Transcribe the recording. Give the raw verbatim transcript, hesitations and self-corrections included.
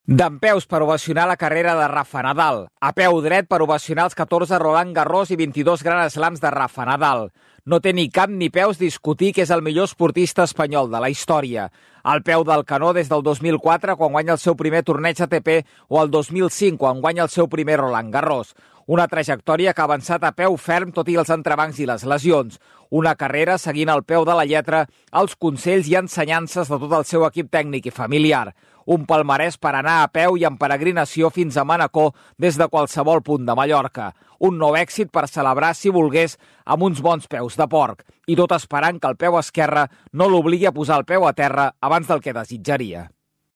Dempeus per ovacionar la carrera de Rafa Nadal. A peu dret per ovacionar els catorze Roland Garros i vint-i-dos Grand Slams de Rafa Nadal. No té ni cap ni peus discutir que és el millor esportista espanyol de la història. Al peu del canó des del dos mil quatre, quan guanya el seu primer torneig A T P, o el dos mil cinc, quan guanya el seu primer Roland Garros. Una trajectòria que ha avançat a peu ferm tot i els entrebancs i les lesions. Una carrera seguint al peu de la lletra els consells i ensenyances de tot el seu equip tècnic i familiar. Un palmarès per anar a peu i en peregrinació fins a Manacor des de qualsevol punt de Mallorca. Un nou èxit per celebrar, si volgués, amb uns bons peus de porc. I tot esperant que el peu esquerre no l'obligui a posar el peu a terra abans del que desitjaria.